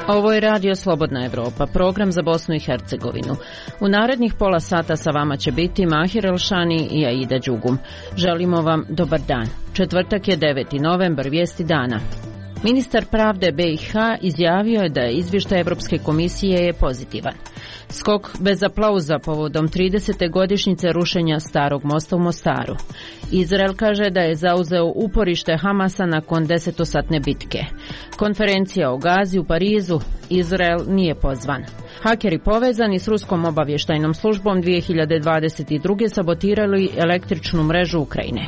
Ovo je Radio Slobodna Evropa, program za Bosnu i Hercegovinu. U narednih pola sata sa vama će biti Mahir Elšani i Aida Đugum. Želimo vam dobar dan. Četvrtak je 9. novembar, vijesti dana. Ministar pravde BiH izjavio je da je izvještaj Evropske komisije je pozitivan. Skok bez aplauza povodom 30. godišnjice rušenja Starog mosta u Mostaru. Izrael kaže da je zauzeo uporište Hamasa nakon 10-satne bitke. Konferencija o Gazi u Parizu, Izrael nije pozvan. Hakeri povezani s ruskom obavještajnom službom 2022. sabotirali električnu mrežu Ukrajine.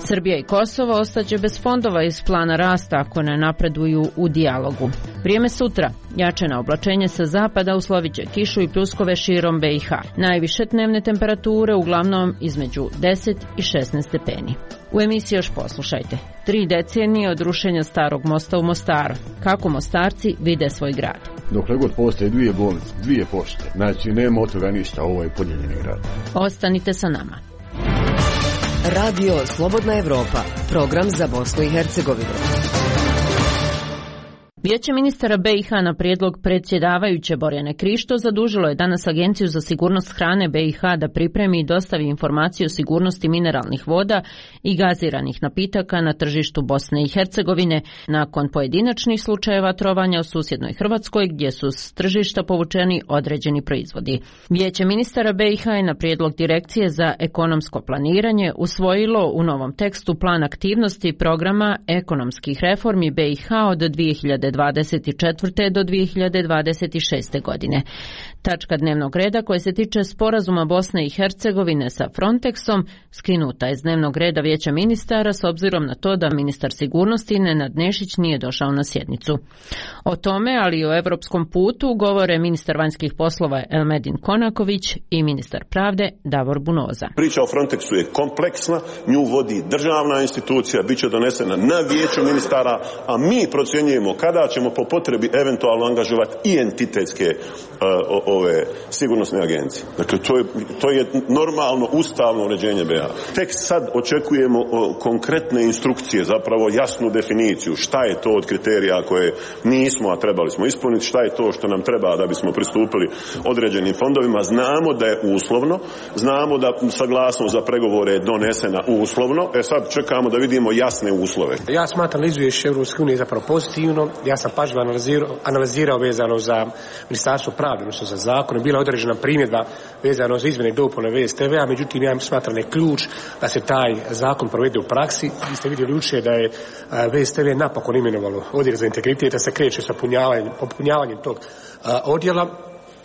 Srbija i Kosovo ostaće bez fondova iz plana rasta ako ne napreduju u dijalogu. Vrijeme sutra. Jačena oblačenje sa zapada uslovit će kišu i pljuskove širom BiH. Najviše dnevne temperature uglavnom između 10 i 16 stepeni. U emisiji još poslušajte. 3 decenije od rušenja Starog mosta u Mostaru. Kako Mostarci vide svoj grad. Dokle god postoje 2 bolnice, 2 pošte, znači nema od toga ništa, ovo je podijeljeni grad. Ostanite sa nama. Radio Slobodna Evropa, program za Bosnu i Hercegovinu. Vijeće ministara BiH na prijedlog predsjedavajuće Borjane Krišto zadužilo je danas Agenciju za sigurnost hrane BiH da pripremi i dostavi informaciju o sigurnosti mineralnih voda i gaziranih napitaka na tržištu Bosne i Hercegovine nakon pojedinačnih slučajeva trovanja u susjednoj Hrvatskoj gdje su s tržišta povučeni određeni proizvodi. Vijeće ministara BiH je na prijedlog Direkcije za ekonomsko planiranje usvojilo u novom tekstu plan aktivnosti programa ekonomskih reformi BiH od 2024. do 2026. godine. Tačka dnevnog reda koja se tiče sporazuma Bosne i Hercegovine sa Frontexom skinuta je iz dnevnog reda Vijeća ministara s obzirom na to da ministar sigurnosti Nenad Nešić nije došao na sjednicu. O tome, ali i o europskom putu, govore ministar vanjskih poslova Elmedin Konaković i ministar pravde Davor Bunoza. Priča o Frontexu je kompleksna, nju vodi državna institucija, bit će donesena na Vijeću ministara, a mi procjenjujemo kada ćemo po potrebi eventualno angažovati i entitetske ove sigurnosne agencije. Dakle, to je normalno ustavno uređenje BiH. Tek sad očekujemo konkretne instrukcije, zapravo jasnu definiciju šta je to od kriterija koje nismo, a trebali smo ispuniti, šta je to što nam treba da bismo pristupili određenim fondovima. Znamo da je uslovno, znamo da saglasnost za pregovore je donesena uslovno, sad čekamo da vidimo jasne uslove. Ja smatram izvješće Europske unije zapravo pozitivno. Ja sam pažljivo analizirao vezano za Ministarstvo pravde, odnosno za zakon. Je bila određena primjedba vezano za izmjene i dopune VSTV-a, međutim ja smatram da je ključ da se taj zakon provede u praksi. Vi ste vidjeli jučer da je VSTV napokon imenovalo odjel za integritet, da se kreće sa popunjavanjem tog odjela.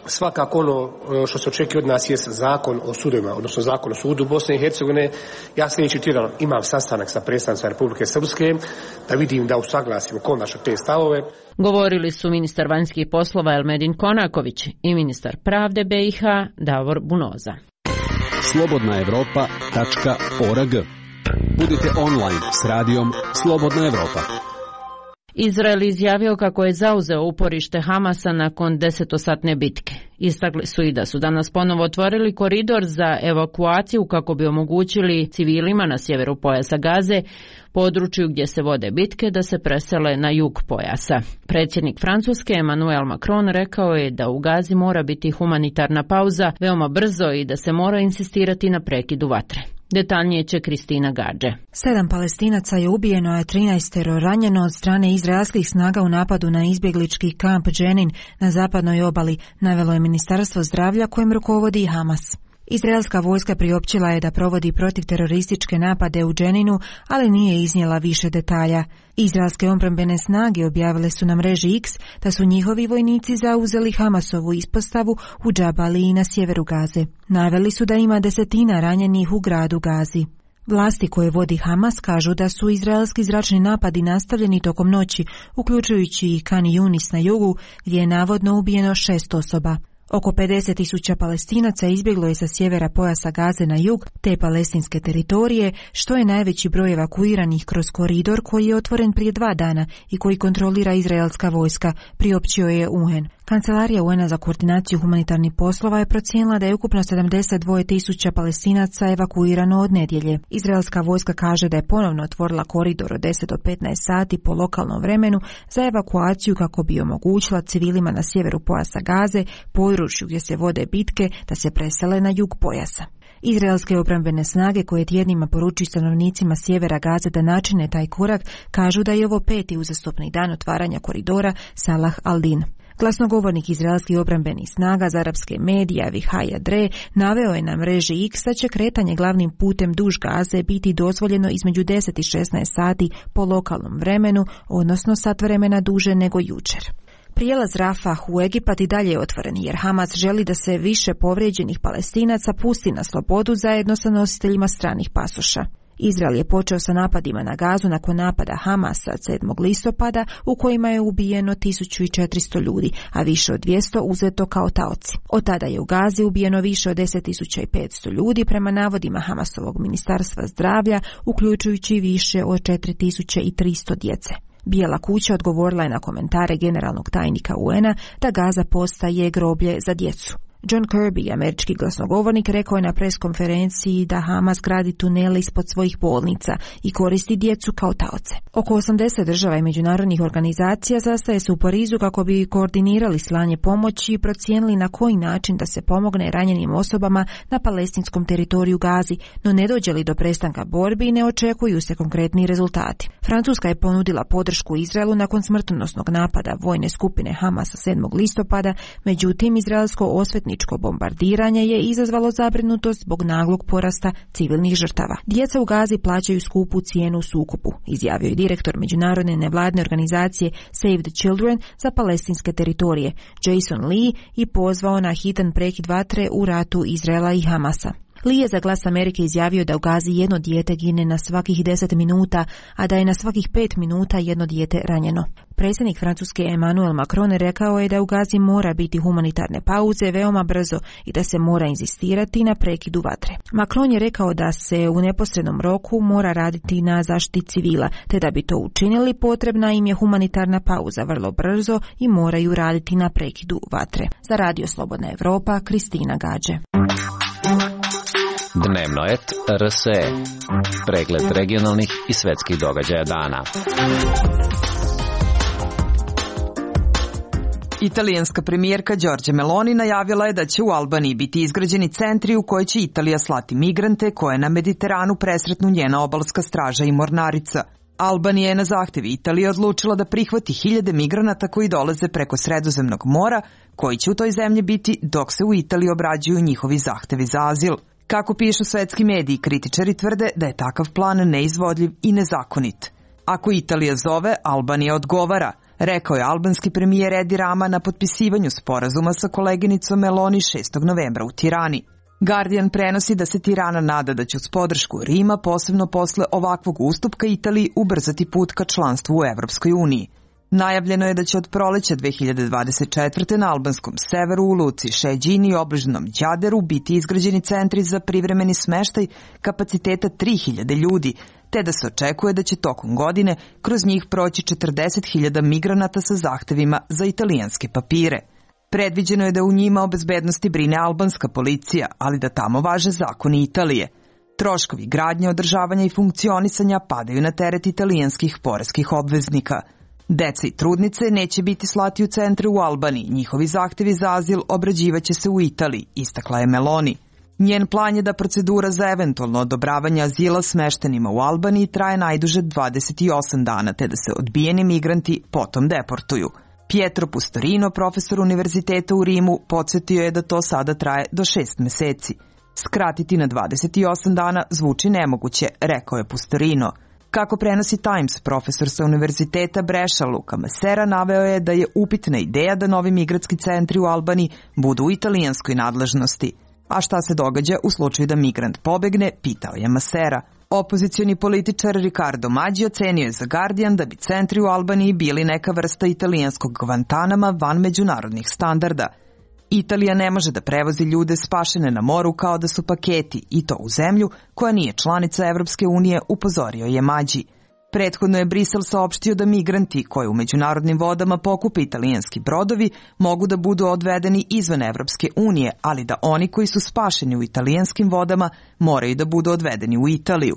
Svakako ono što se očekuje od nas je zakon o sudovima, odnosno zakon o sudu Bosne i Hercegovine. Ja sljedeći tjedan imam sastanak sa predstavnicima Republike Srpske da vidim da usaglasimo konačno te stavove. Govorili su ministar vanjskih poslova Elmedin Konaković i ministar pravde BiH Davor Bunoza. slobodnaevropa.org. Budite online s radijom Slobodna Evropa. Izrael izjavio kako je zauzeo uporište Hamasa nakon 10-satne bitke. Istakli su i da su danas ponovo otvorili koridor za evakuaciju kako bi omogućili civilima na sjeveru pojasa Gaze, području gdje se vode bitke, da se presele na jug pojasa. Predsjednik Francuske Emmanuel Macron rekao je da u Gazi mora biti humanitarna pauza veoma brzo i da se mora insistirati na prekidu vatre. Detaljnije će Kristina Gađe. 7 Palestinaca je ubijeno, a 13 ranjeno od strane izraelskih snaga u napadu na izbjeglički kamp Dženin na zapadnoj obali, navelo je Ministarstvo zdravlja kojem rukovodi Hamas. Izraelska vojska priopćila je da provodi protivterorističke napade u Dženinu, ali nije iznijela više detalja. Izraelske obrambene snage objavile su na mreži X da su njihovi vojnici zauzeli Hamasovu ispostavu u Džabaliji na sjeveru Gaze. Naveli su da ima 10 ranjenih u gradu Gazi. Vlasti koje vodi Hamas kažu da su izraelski zračni napadi nastavljeni tokom noći, uključujući i Kan Yunis na jugu, gdje je navodno ubijeno 6 osoba. Oko 50.000 Palestinaca izbjeglo je sa sjevera pojasa Gaze na jug te palestinske teritorije, što je najveći broj evakuiranih kroz koridor koji je otvoren prije 2 dana i koji kontrolira izraelska vojska, priopćio je UN. Kancelarija UN-a za koordinaciju humanitarnih poslova je procijenila da je ukupno 72.000 Palestinaca evakuirano od nedjelje. Izraelska vojska kaže da je ponovno otvorila koridor od 10 do 15 sati po lokalnom vremenu za evakuaciju kako bi omogućila civilima na sjeveru pojasa Gaze, području gdje se vode bitke, da se presele na jug pojasa. Izraelske obrambene snage koje tjednima poručuju stanovnicima sjevera Gaze da načine taj korak, kažu da je ovo 5. uzastopni dan otvaranja koridora Salah al-Din. Glasnogovornik izraelskih obrambenih snaga za arapske medije Avichai Adre naveo je na mreži X da će kretanje glavnim putem duž Gaze biti dozvoljeno između 10 i 16 sati po lokalnom vremenu, odnosno sat vremena duže nego jučer. Prijelaz Rafah u Egipat i dalje je otvoren jer Hamas želi da se više povrijeđenih Palestinaca pusti na slobodu zajedno sa nositeljima stranih pasoša. Izrael je počeo sa napadima na Gazu nakon napada Hamasa 7. listopada u kojima je ubijeno 1400 ljudi, a više od 200 uzeto kao taoci. Od tada je u Gazi ubijeno više od 10.500 ljudi prema navodima Hamasovog ministarstva zdravlja, uključujući više od 4300 djece. Bijela kuća odgovorila je na komentare generalnog tajnika UN-a da Gaza postaje groblje za djecu. John Kirby, američki glasnogovornik, rekao je na preskonferenciji da Hamas gradi tunele ispod svojih bolnica i koristi djecu kao taoce. Oko 80 država i međunarodnih organizacija sastaje se u Parizu kako bi koordinirali slanje pomoći i procijenili na koji način da se pomogne ranjenim osobama na palestinskom teritoriju Gazi, no ne dođe li do prestanka borbi i ne očekuju se konkretni rezultati. Francuska je ponudila podršku Izraelu nakon smrtonosnog napada vojne skupine Hamasa 7. listopada, međutim izraelsko osvetničko bombardiranje je izazvalo zabrinutost zbog naglog porasta civilnih žrtava. Djeca u Gazi plaćaju skupu cijenu u sukobu, izjavio je direktor međunarodne nevladne organizacije Save the Children za palestinske teritorije, Jason Lee, i pozvao na hitan prekid vatre u ratu Izraela i Hamasa. Lee je za Glas Amerike izjavio da u Gazi jedno dijete gine na svakih 10 minuta, a da je na svakih 5 minuta jedno dijete ranjeno. Predsjednik Francuske Emmanuel Macron rekao je da u Gazi mora biti humanitarne pauze veoma brzo i da se mora inzistirati na prekidu vatre. Macron je rekao da se u neposrednom roku mora raditi na zaštiti civila, te da bi to učinili potrebna im je humanitarna pauza vrlo brzo i moraju raditi na prekidu vatre. Za Radio Slobodna Evropa, Kristina Gađe. Dnevnoet RSE. Pregled regionalnih i svetskih događaja dana. Italijanska premijerka Giorgia Meloni najavila je da će u Albaniji biti izgrađeni centri u koje će Italija slati migrante koje na Mediteranu presretnu njena obalska straža i mornarica. Albanija je na zahtjev Italije odlučila da prihvati 1000 migranata koji dolaze preko Sredozemnog mora, koji će u toj zemlji biti dok se u Italiji obrađuju njihovi zahtevi za azil. Kako pišu svetski mediji, kritičari tvrde da je takav plan neizvodljiv i nezakonit. Ako Italija zove, Albanija odgovara, rekao je albanski premijer Edi Rama na potpisivanju sporazuma sa koleginicom Meloni 6. novembra u Tirani. Guardian prenosi da se Tirana nada da će uz podršku Rima, posebno posle ovakvog ustupka Italiji, ubrzati put ka članstvu u Evropskoj uniji. Najavljeno je da će od proleća 2024. na albanskom severu u luci Šeđini i obližnom Đaderu biti izgrađeni centri za privremeni smeštaj kapaciteta 3000 ljudi, te da se očekuje da će tokom godine kroz njih proći 40.000 migranata sa zahtevima za italijanske papire. Predviđeno je da u njima o bezbednosti brine albanska policija, ali da tamo važe zakoni Italije. Troškovi gradnje, održavanja i funkcionisanja padaju na teret italijanskih poreskih obveznika. Deca i trudnice neće biti slati u centre u Albaniji, njihovi zahtevi za azil obrađivaće se u Italiji, istakla je Meloni. Njen plan je da procedura za eventualno odobravanje azila smeštenima u Albaniji traje najduže 28 dana, te da se odbijeni migranti potom deportuju. Pietro Pustorino, profesor univerziteta u Rimu, podsjetio je da to sada traje do 6 meseci. Skratiti na 28 dana zvuči nemoguće, rekao je Pustorino. Kako prenosi Times, profesor sa univerziteta Breša Luka Masera naveo je da je upitna ideja da novi migratski centri u Albaniji budu u italijanskoj nadležnosti. A šta se događa u slučaju da migrant pobegne, pitao je Masera. Opozicioni političar Riccardo Maggi ocenio je za Guardian da bi centri u Albaniji bili neka vrsta italijanskog Guantanama van međunarodnih standarda. Italija ne može da prevozi ljude spašene na moru kao da su paketi, i to u zemlju koja nije članica Evropske unije, upozorio je Mađi. Prethodno je Brisel saopštio da migranti koji u međunarodnim vodama pokupe italijanski brodovi mogu da budu odvedeni izvan Evropske unije, ali da oni koji su spašeni u italijanskim vodama moraju da budu odvedeni u Italiju.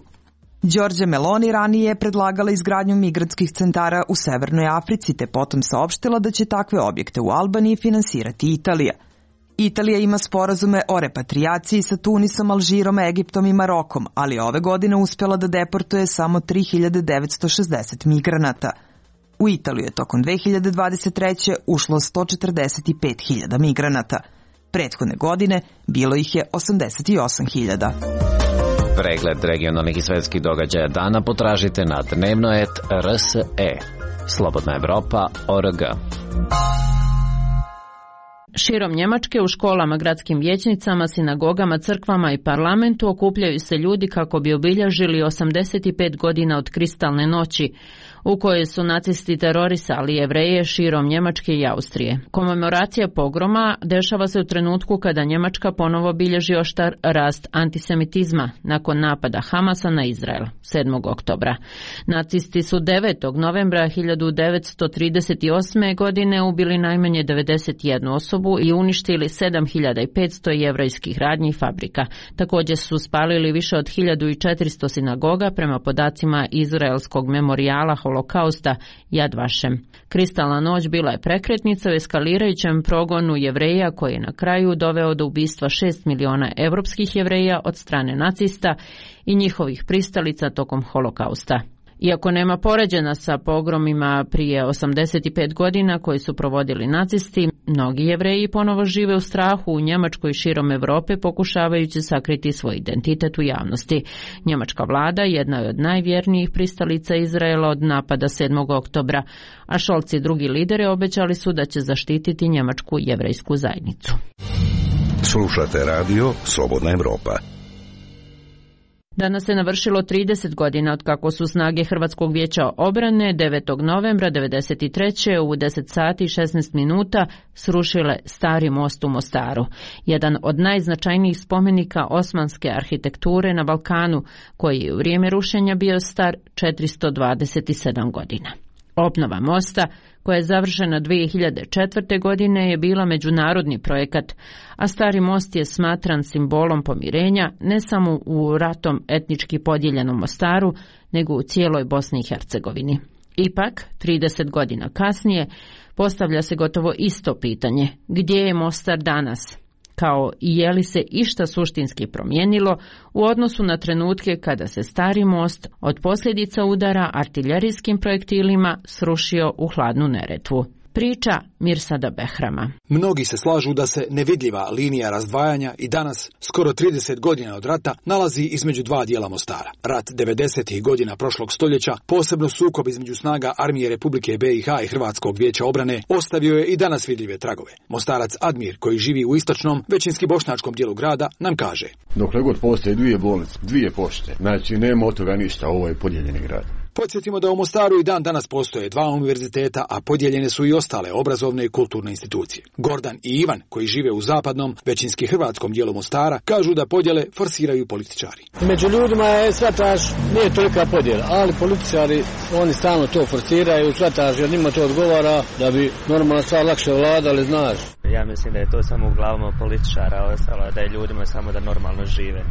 Giorgia Meloni ranije je predlagala izgradnju migrantskih centara u Severnoj Africi, te potom saopštila da će takve objekte u Albaniji finansirati Italija. Italija ima sporazume o repatrijaciji sa Tunisom, Alžirom, Egiptom i Marokom, ali ove godine uspjela da deportuje samo 3960 migranata. U Italiju je tokom 2023. ušlo 145.000 migranata. Prethodne godine bilo ih je 88.000. Pregled regionalnih i svetskih događaja dana potražite na dnevnoet.rse. Slobodna Evropa.org. Širom Njemačke u školama, gradskim vijećnicama, sinagogama, crkvama i parlamentu okupljaju se ljudi kako bi obilježili 85 godina od Kristalne noći, u kojoj su nacisti terorisali Jevreje širom Njemačke i Austrije. Komemoracija pogroma dešava se u trenutku kada Njemačka ponovo bilježi oštar rast antisemitizma nakon napada Hamasa na Izrael 7. oktobra. Nacisti su 9. novembra 1938. godine ubili najmanje 91 osobu i uništili 7500 jevrejskih radnji i fabrika. Također su spalili više od 1400 sinagoga prema podacima Izraelskog memorijala Holokausta Yad Vashem. Kristalna noć bila je prekretnica u eskalirajućem progonu Jevreja koji je na kraju doveo do ubistva 6 miliona evropskih Jevreja od strane nacista i njihovih pristalica tokom Holokausta. Iako nema poređena sa pogromima prije 85 godina koji su provodili nacisti, mnogi Jevreji ponovo žive u strahu u Njemačkoj i širom Europe pokušavajući sakriti svoj identitet u javnosti. Njemačka vlada jedna je od najvjernijih pristalica Izraela od napada 7. oktobra, a Scholz i drugi lideri obećali su da će zaštititi njemačku jevrejsku zajednicu. Slušate radio Slobodna Evropa. Danas se navršilo 30 godina od kako su snage Hrvatskog vijeća obrane 9. novembra 1993. u 10 sati i 16 minuta srušile Stari most u Mostaru, jedan od najznačajnijih spomenika osmanske arhitekture na Balkanu, koji je u vrijeme rušenja bio star 427 godina. Obnova mosta, koja je završena 2004. godine, je bila međunarodni projekat, a Stari most je smatran simbolom pomirenja ne samo u ratom etnički podijeljenom Mostaru, nego u cijeloj Bosni i Hercegovini. Ipak, 30 godina kasnije, postavlja se gotovo isto pitanje: gdje je Mostar danas? Kao i je li se išta suštinski promijenilo u odnosu na trenutke kada se Stari most od posljedica udara artiljerijskim projektilima srušio u hladnu Neretvu. Priča Mirsada Behrama. Mnogi se slažu da se nevidljiva linija razdvajanja i danas, skoro 30 godina od rata, nalazi između dva dijela Mostara. Rat 90. godina prošlog stoljeća, posebno sukob između snaga Armije Republike BiH i Hrvatskog vijeća obrane, ostavio je i danas vidljive tragove. Mostarac Admir, koji živi u istočnom, većinski bošnjačkom dijelu grada, nam kaže: dokle god postoje dvije bolnice, dvije pošte, znači nema od toga ništa, ovo je podijeljeni grad. Podsjetimo da u Mostaru i dan danas postoje dva univerziteta, a podijeljene su i ostale obrazovne i kulturne institucije. Gordan i Ivan, koji žive u zapadnom, većinski hrvatskom dijelu Mostara, kažu da podjele forsiraju političari. Među ljudima je shvataš, nije tolika podjela, ali političari, oni stalno to forsiraju, shvataš, jer njima to odgovara da bi normalno stvar lakše vladali, znaš. Ja mislim da je to samo u glavama političara, ostalo da je ljudima samo da normalno žive.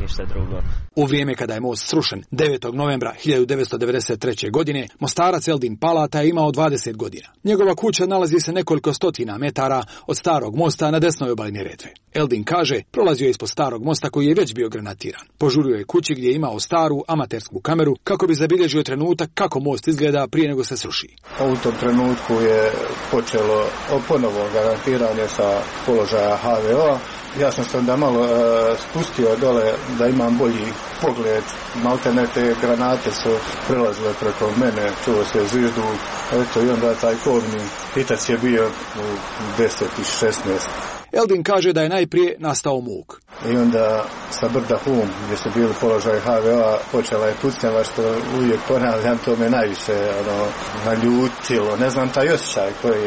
Ništa drugo. U vrijeme kada je most srušen 9. novembra 1993. godine, Mostarac Eldin Palata je imao 20 godina. Njegova kuća nalazi se nekoliko stotina metara od Starog mosta na desnoj obali Neretve. Eldin kaže, prolazio je ispod Starog mosta koji je već bio granatiran. Požurio je kući gdje je imao staru amatersku kameru kako bi zabilježio trenutak kako most izgleda prije nego se sruši. U tom trenutku je počelo ponovo granatiranje sa položaja HVO-a. Ja sam se onda malo spustio dole da imam bolji pogled. Maltene te granate su prelazile preko mene, čuo se zvižduk. Eto, i onda taj kobni hitac je bio u 10 i 16. Eldin kaže da je najprije nastao muk. i onda sa brda Hum, gdje su bili položaj HVO-a, počela je pucnjava, što uvijek ponavljam, to me najviše naljutilo. Ne znam taj osjećaj koji,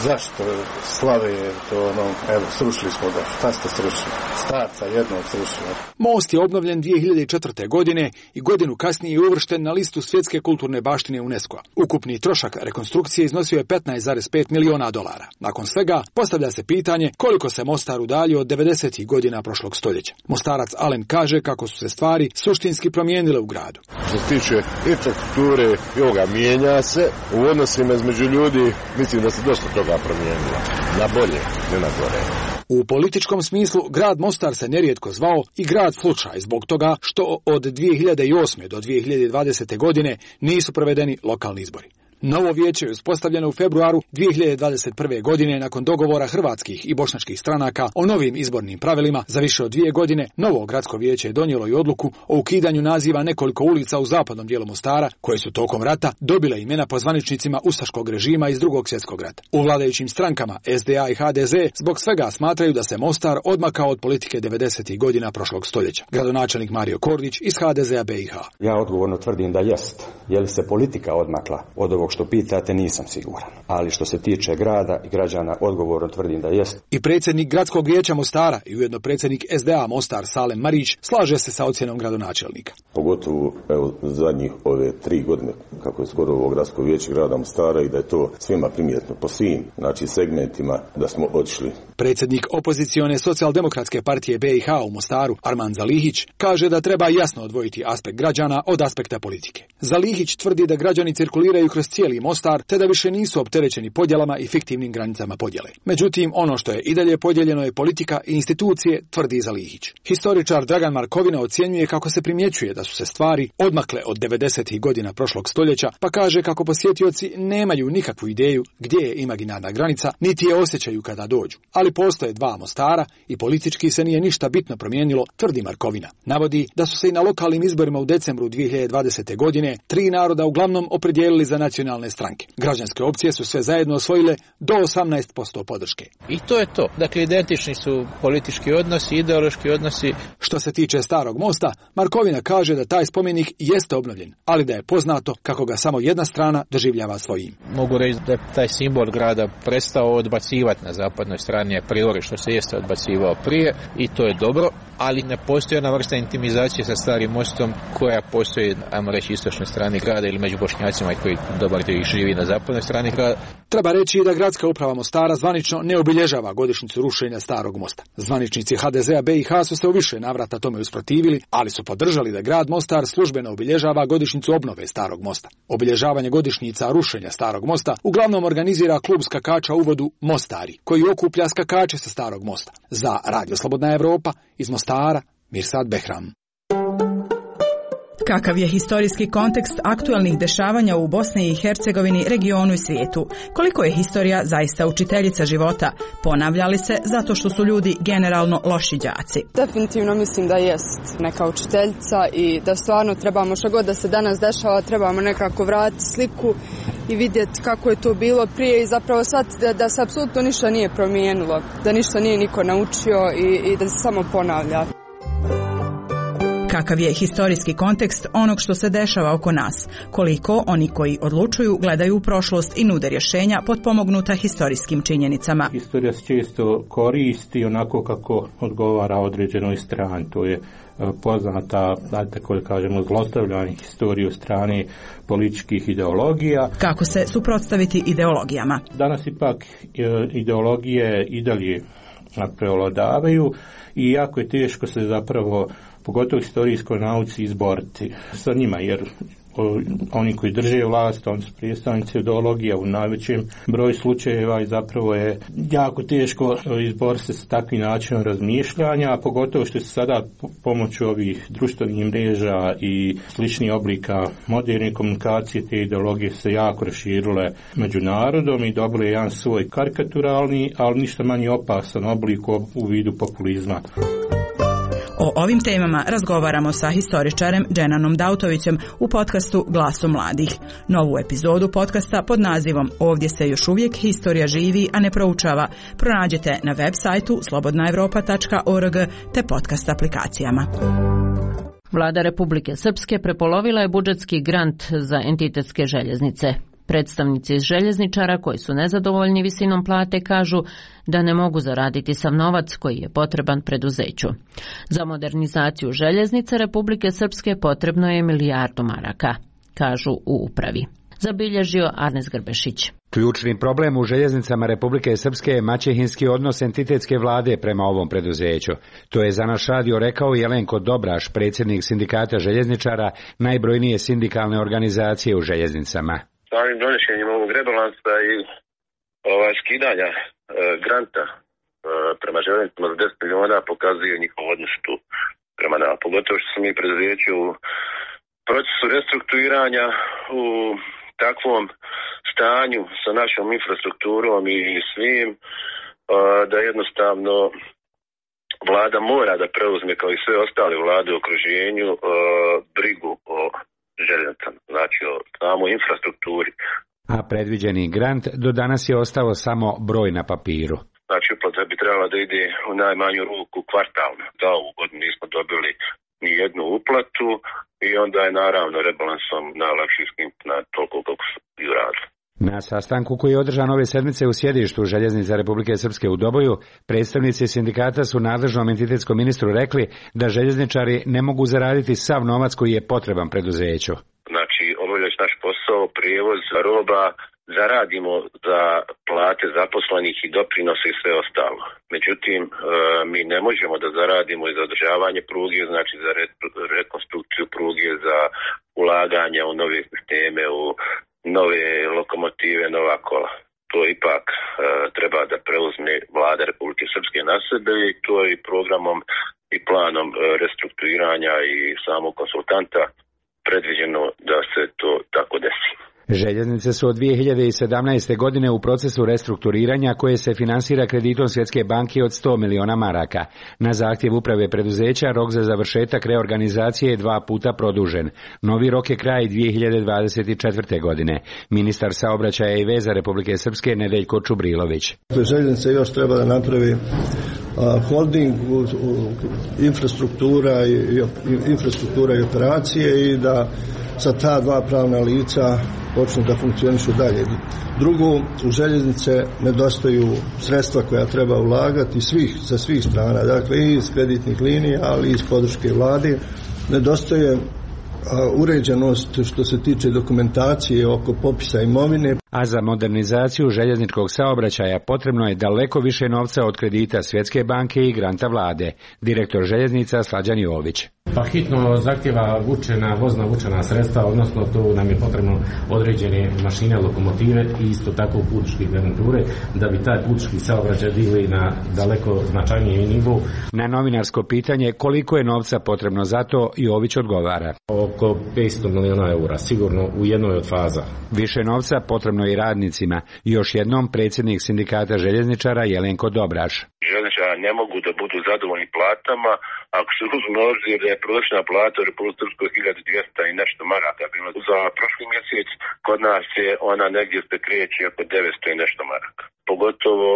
zašto slave to, evo, srušili smo ga. Šta ste srušili? Starca jednog srušili. Most je obnovljen 2004. godine i godinu kasnije je uvršten na listu svjetske kulturne baštine UNESCO-a. Ukupni trošak rekonstrukcije iznosio je $15,5 miliona. Nakon svega, postavlja se pitanje koliko se Mostar udaljio od 90. godina prošlog stoljeća. Mostarac Alen kaže kako su se stvari suštinski promijenile u gradu. Što se tiče infrastrukture i ovoga mijenja se, u odnosima između ljudi mislim da se dosta toga promijenilo. Na bolje, ne na gore. U političkom smislu grad Mostar se nerijetko zvao i grad slučaj zbog toga što od 2008. do 2020. godine nisu provedeni lokalni izbori. Novo vijeće je uspostavljeno u februaru 2021. godine nakon dogovora hrvatskih i bošnjačkih stranaka o novim izbornim pravilima. Za više od 2 godine novo gradsko vijeće je donijelo i odluku o ukidanju naziva nekoliko ulica u zapadnom dijelu Mostara, koje su tokom rata dobile imena po zvaničnicima ustaškog režima iz Drugog svjetskog rata. U vladajućim strankama SDA i HDZ zbog svega smatraju da se Mostar odmakao od politike 90. godina prošlog stoljeća. Gradonačelnik Mario Kordić iz HDZ-a BiH. Ja odgovorno tvrdim da jest. Je li se politika odmakla od ovog što pitate, nisam siguran. Ali što se tiče grada i građana, odgovorno tvrdim da jest. I predsjednik gradskog vijeća Mostara i ujedno predsjednik SDA Mostar Salem Marić slaže se sa ocjenom gradonačelnika. Pogotovo zadnjih ove 3 godine kako je skoro ovo gradsko vijeće grada Mostara i da je to svima primjetno po svim segmentima da smo otišli. Predsjednik opozicione socijaldemokratske partije BiH u Mostaru Arman Zalihić kaže da treba jasno odvojiti aspekt građana od aspekta politike. Zalihić tvrdi da građani cirkuliraju kroz cijeli Mostar te da više nisu opterećeni podjelama i fiktivnim granicama podjele. Međutim, ono što je i dalje podijeljeno je politika i institucije, tvrdi Zalihić. Historičar Dragan Markovina ocjenjuje kako se primjećuje da su se stvari odmakle od 90. godina prošlog stoljeća, pa kaže kako posjetioci nemaju nikakvu ideju gdje je imaginarna granica, niti je osjećaju kada dođu. Ali postoje 2 Mostara i politički se nije ništa bitno promijenilo, tvrdi Markovina. Navodi da su se i na lokalnim izborima u decembru 2020. godine 3 naroda uglavnom opredijelili za nacionalne stranke. Građanske opcije su sve zajedno osvojile do 18% podrške. I to je to. Dakle, identični su politički odnosi, ideološki odnosi. Što se tiče Starog mosta, Markovina kaže da taj spomenik jeste obnovljen, ali da je poznato kako ga samo jedna strana doživljava svojim. Mogu reći da je taj simbol grada prestao odbacivati na zapadnoj strani a priori, što se jeste odbacivao prije, i to je dobro, ali ne postoji jedna vrsta intimizacije sa Starim mostom koja postoji, ajmo reći, istočnoj strani grada ili među Bošnjacima koji dobar dio ih živi na zapadnoj strani grada. Treba reći da gradska uprava Mostara zvanično ne obilježava godišnjicu rušenja Starog mosta. Zvaničnici HDZ-a BiH su se u više navrata tome usprotivili, ali su podržali da grad Mostar službeno obilježava godišnjicu obnove Starog mosta. Obilježavanje godišnjica rušenja Starog mosta uglavnom organizira klub skakača u vodu Mostari, koji okuplja skakače sa Starog mosta. Za Radio Slobodna Evropa iz Mostara, Mirsad Behram. Kakav je historijski kontekst aktualnih dešavanja u Bosni i Hercegovini, regionu i svijetu? Koliko je historija zaista učiteljica života? Ponavlja li se zato što su ljudi generalno loši đaci? Definitivno mislim da jest neka učiteljica i da stvarno trebamo što god da se danas dešava, trebamo nekako vratiti sliku i vidjeti kako je to bilo prije i zapravo shvatiti da se apsolutno ništa nije promijenilo, da ništa nije niko naučio i da se samo ponavlja. Kakav je historijski kontekst onog što se dešava oko nas? Koliko oni koji odlučuju gledaju u prošlost i nude rješenja potpomognuta historijskim činjenicama? Historija se često koristi onako kako odgovara određenoj strani. To je poznata, tako kažemo, zlostavljanje historije od strane političkih ideologija. Kako se suprotstaviti ideologijama? Danas ipak ideologije i dalje prevladavaju i jako je teško se zapravo, pogotovo historijskoj nauci, izboriti sa njima, jer oni koji drže vlast, oni su predstavnici ideologija u najvećem broju slučajeva i zapravo je jako teško izboriti se sa takvim načinom razmišljanja, a pogotovo što se sada pomoću ovih društvenih mreža i sličnih oblika moderne komunikacije, te ideologije se jako raširile među narodom i dobile jedan svoj karikaturalni, ali ništa manje opasan oblik u vidu populizma. O ovim temama razgovaramo sa historičarem Dženanom Dautovićem u podcastu Glasom mladih. Novu epizodu podcasta pod nazivom Ovdje se još uvijek historija živi, a ne proučava pronađete na web sajtu slobodnaevropa.org te podcast aplikacijama. Vlada Republike Srpske prepolovila je budžetski grant za entitetske željeznice. Predstavnici željezničara koji su nezadovoljni visinom plate kažu da ne mogu zaraditi sav novac koji je potreban preduzeću. Za modernizaciju željeznice Republike Srpske potrebno je 1 milijardu maraka, kažu u upravi. Zabilježio Arnes Grbešić. Ključni problem u željeznicama Republike Srpske je maćehinski odnos entitetske vlade prema ovom preduzeću. To je za naš radio rekao Jelenko Dobraš, predsjednik sindikata željezničara, najbrojnije sindikalne organizacije u željeznicama. Samim donošenjem ovog rebalansa i skidanja granta prema željeznicama za 10 miliona pokazuje njihov odnos tu prema nama. Pogotovo što smo mi preduzeći u procesu restrukturiranja u takvom stanju sa našom infrastrukturom i svim, da jednostavno vlada mora da preuzme, kao i sve ostale vlade u okruženju, brigu o željeznicama, znači o samoj infrastrukturi. A predviđeni grant do danas je ostao samo broj na papiru. Znači uplata bi trebala da ide u najmanju ruku kvartalno. Da, ovu godinu nismo dobili ni jednu uplatu i onda je naravno rebalansom najlakše skinuti na toliko koliko su i uradili. Na sastanku koji je održan ove sedmice u sjedištu Željeznica Republike Srpske u Doboju, predstavnici sindikata su nadležnom entitetskom ministru rekli da željezničari ne mogu zaraditi sav novac koji je potreban preduzeću. Znači, obavljajući naš posao, prijevoz roba, zaradimo za plate zaposlenih i doprinose i sve ostalo. Međutim, mi ne možemo da zaradimo i za održavanje pruge, znači za rekonstrukciju pruge, za ulaganje u nove sisteme, u nove lokomotive, nova kola. To ipak treba da preuzme vlada Republike Srpske na sebe i to je i programom i planom restrukturiranja i samog konsultanta predviđeno da se to tako desi. Željeznice su od 2017. godine u procesu restrukturiranja koje se finansira kreditom Svjetske banke od 100 miliona maraka. Na zahtjev uprave preduzeća rok za završetak reorganizacije je 2 puta produžen. Novi rok je kraj 2024. godine. Ministar saobraćaja i veza Republike Srpske Nedeljko Čubrilović. Željeznice još treba da napravi holding, infrastruktura i operacije i da sa ta 2 pravna lica počnu da funkcionišu dalje. Drugo, u željeznice nedostaju sredstva koja treba ulagati sa svih strana, dakle i iz kreditnih linija, ali i iz podrške vlade. Nedostaje uređenost što se tiče dokumentacije oko popisa imovine. A za modernizaciju željezničkog saobraćaja potrebno je daleko više novca od kredita Svjetske banke i granta vlade. Direktor željeznica Slađan Jović. Pa hitno zahtjeva vozna vučena sredstva, odnosno tu nam je potrebno određene mašine, lokomotive i isto tako putničke garniture da bi taj putnički saobraćaj digli na daleko značajniji nivo. Na novinarsko pitanje koliko je novca potrebno za to, Jović odgovara. Oko 500 miliona eura, sigurno u jednoj od faza. Više novca potrebno i radnicima. Još jednom predsjednik sindikata željezničara Jelenko Dobraš. Željezničari ne mogu da budu zadovoljni platama ako se uzme obzir da je prosječna plata u Republike Srpskoj 1200 i nešto maraka bilo. Za prošli mjesec kod nas je ona negdje se kreće oko 900 i nešto maraka. Pogotovo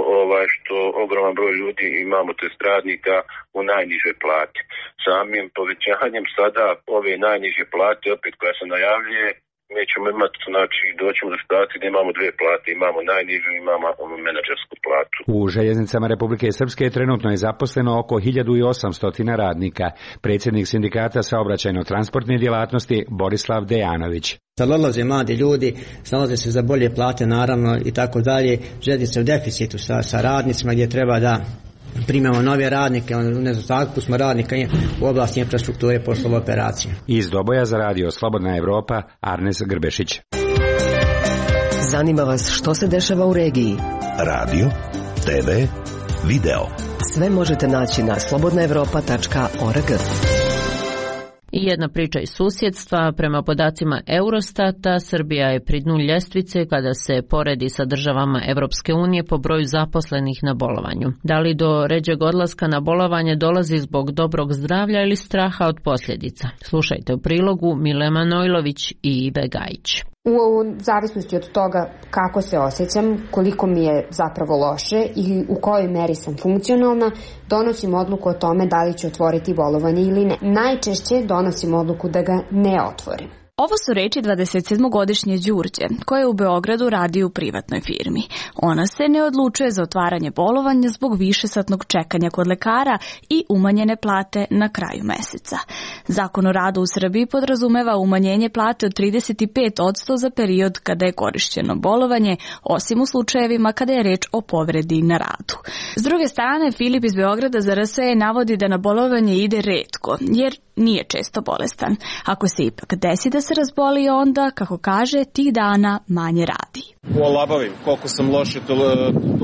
što ogroman broj ljudi imamo tj. radnika u najnižoj plati. Samim povećanjem sada ove najniže plate opet koja se najavljuje, mi ćemo imati, znači doćemo do situacije da imamo 2 plate, imamo najnižu, imamo menadžersku platu. U željeznicama Republike Srpske trenutno je zaposleno oko 1800 radnika. Predsjednik sindikata saobraćajno-transportne djelatnosti Borislav Dejanović. Sad odlaze mladi ljudi, snalaze se za bolje plate naravno i tako dalje. Željeznica u deficitu sa radnicima gdje treba da primamo nove radnike, u nedostatku smo radnika u oblasti infrastrukture poslova operacije. Iz Doboja za radio Slobodna Evropa, Arnes Grbešić. Zanima vas što se dešava u regiji? Radio, TV, video. Sve možete naći na slobodnaevropa.org. I jedna priča iz susjedstva. Prema podacima Eurostata, Srbija je pri dnu ljestvice kada se poredi sa državama Evropske unije po broju zaposlenih na bolovanju. Da li do ređeg odlaska na bolovanje dolazi zbog dobrog zdravlja ili straha od posljedica? Slušajte u prilogu Mile Manojlović i Ive Gajić. U zavisnosti od toga kako se osjećam, koliko mi je zapravo loše i u kojoj meri sam funkcionalna, donosim odluku o tome da li ću otvoriti bolovanje ili ne. Najčešće donosim odluku da ga ne otvorim. Ovo su reči 27-godišnje Đurđe, koja u Beogradu radi u privatnoj firmi. Ona se ne odlučuje za otvaranje bolovanja zbog višesatnog čekanja kod lekara i umanjene plate na kraju meseca. Zakon o radu u Srbiji podrazumeva umanjenje plate od 35% za period kada je korišćeno bolovanje, osim u slučajevima kada je reč o povredi na radu. S druge strane, Filip iz Beograda za RSE navodi da na bolovanje ide retko, jer nije često bolestan. Ako se ipak desi da se razboli, onda, kako kaže, tih dana manje radi. Olabavim, koliko sam loš i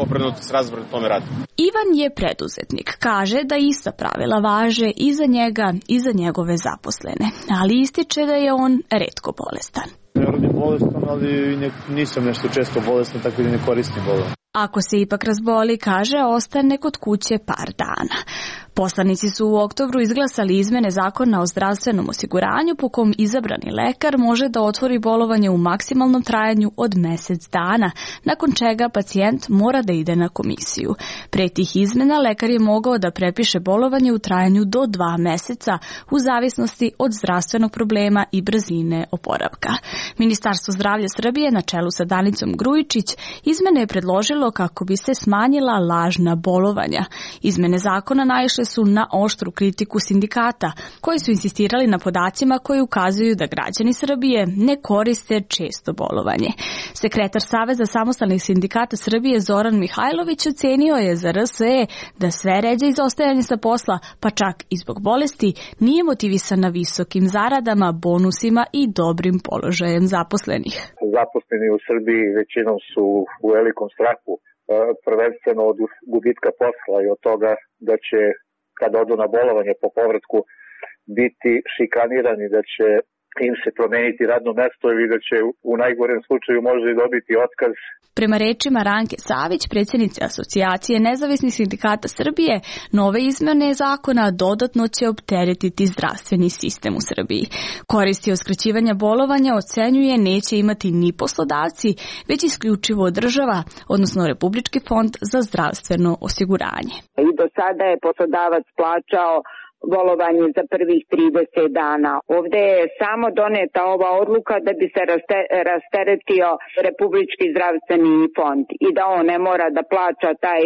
obrnuto s razborom tome radi. Ivan je preduzetnik. Kaže da ista pravila važe i za njega i za njegove zaposlene, ali ističe da je on retko bolestan. Ne radim bolestan, ali nisam nešto često bolestan, tako da ne koristim bolovanje. Ako se ipak razboli, kaže, ostane kod kuće par dana. Poslanici su u oktobru izglasali izmene zakona o zdravstvenom osiguranju po kom izabrani lekar može da otvori bolovanje u maksimalnom trajanju od mjesec dana, nakon čega pacijent mora da ide na komisiju. Pre tih izmena lekar je mogao da prepiše bolovanje u trajanju do 2 meseca u zavisnosti od zdravstvenog problema i brzine oporavka. Ministarstvo zdravlja Srbije na čelu sa Danicom Grujičić izmene je predložilo kako bi se smanjila lažna bolovanja. Izmene zakona naišle su na oštru kritiku sindikata, koji su insistirali na podacima koji ukazuju da građani Srbije ne koriste često bolovanje. Sekretar Saveza samostalnih sindikata Srbije Zoran Mihajlović ocenio je za RSE da sve ređe izostajanje sa posla, pa čak i zbog bolesti, nije motivisana visokim zaradama, bonusima i dobrim položajem zaposlenih. Zaposleni u Srbiji većinom su u velikom strahu, prvenstveno od gubitka posla i od toga da će, kada odu na bolovanje po povratku, biti šikanirani, da će im se promeniti radno mesto ili da će u najgorem slučaju možda i dobiti otkaz. Prema rečima Ranke Savić, predsjednice Asocijacije nezavisnih sindikata Srbije, nove izmjene zakona dodatno će opteretiti zdravstveni sistem u Srbiji. Koristi od skraćivanja bolovanja, ocenjuje, neće imati ni poslodavci, već isključivo država, odnosno Republički fond za zdravstveno osiguranje. I do sada je poslodavac plaćao bolovanje za prvih 30 dana. Ovdje je samo doneta ova odluka da bi se rasteretio Republički zdravstveni fond i da on ne mora da plaća taj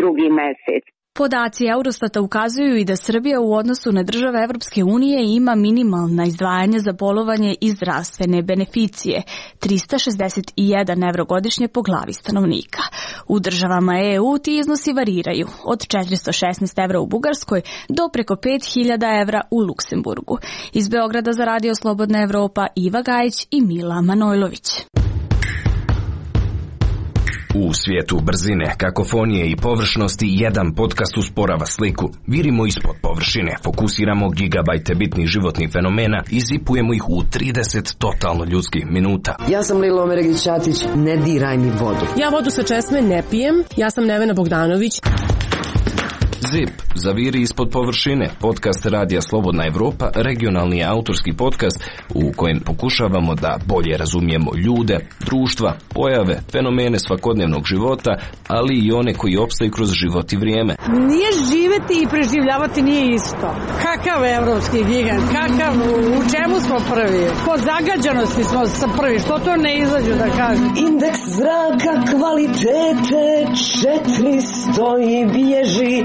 drugi mjesec. Podaci Eurostata ukazuju i da Srbija u odnosu na države Evropske unije ima minimalna izdvajanja za bolovanje i zdravstvene beneficije, 361 evro godišnje po glavi stanovnika. U državama EU ti iznosi variraju, od 416 evra u Bugarskoj do preko 5000 evra u Luksemburgu. Iz Beograda za Radio Slobodna Evropa, Iva Gajić i Mila Manojlović. U svijetu brzine, kakofonije i površnosti jedan podcast usporava sliku. Virimo ispod površine, fokusiramo gigabajte bitnih životnih fenomena i zipujemo ih u 30 totalno ljudskih minuta. Ja sam Lilo Omeregić-Ćatić, ne diraj mi vodu. Ja vodu sa česme ne pijem, ja sam Nevena Bogdanović. ZIP, zaviri ispod površine, podcast Radija Slobodna Evropa, regionalni autorski podcast u kojem pokušavamo da bolje razumijemo ljude, društva, pojave, fenomene svakodnevnog života, ali i one koji opstaju kroz život i vrijeme. Nije živeti i preživljavati nije isto. Kakav evropski gigant, u čemu smo prvi? Po zagađenosti smo prvi, što to ne izađu da kažem? Indeks zraka kvalitete 400 i bježi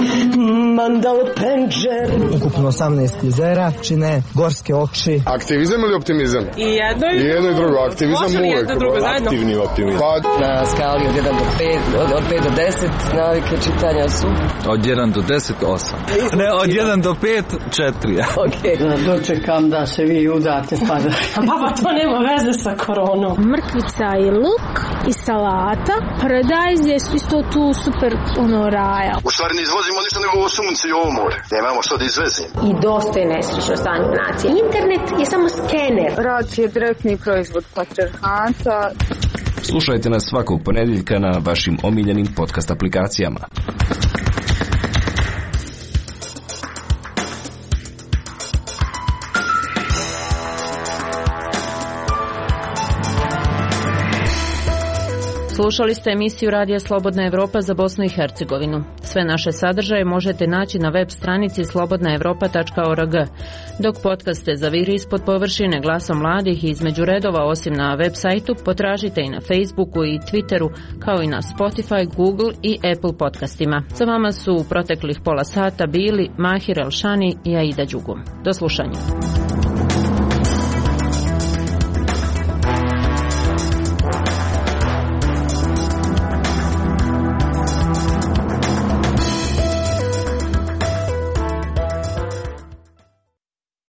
Mandal Penđer. Ukupno 18 jezera čine gorske oči. Aktivizam ili optimizam? I jedno i drugo. Aktivizam uvijek. Aktivni optimizam. Na skali od 1 do 5, od 5 do 10 navike čitanja su? Od 1 do 10, 8. Ne, od 1 do 5, 4. Ok. Dočekam da se vi udate pa da... Pa to nema veze sa koronom. Mrkvica i luk. i salata. Paradajz je isto tu super raja. U stvari ne izvozimo ništa nego ovo sunce i ovo more. Nemamo što da izvezimo. I dosta je nesrećno stanje nacije. Internet je samo skener. Rad je direktni proizvod patrijarhata. Slušajte nas svakog ponedjeljka na vašim omiljenim podcast aplikacijama. Slušali ste emisiju Radija Slobodna Evropa za Bosnu i Hercegovinu. Sve naše sadržaje možete naći na web stranici slobodnaevropa.org. Dok podcaste Zaviri ispod površine, Glasom mladih i Između redova, osim na web sajtu, potražite i na Facebooku i Twitteru, kao i na Spotify, Google i Apple podcastima. Za vama su u proteklih pola sata bili Mahir Elšani i Aida Đugum. Do slušanja.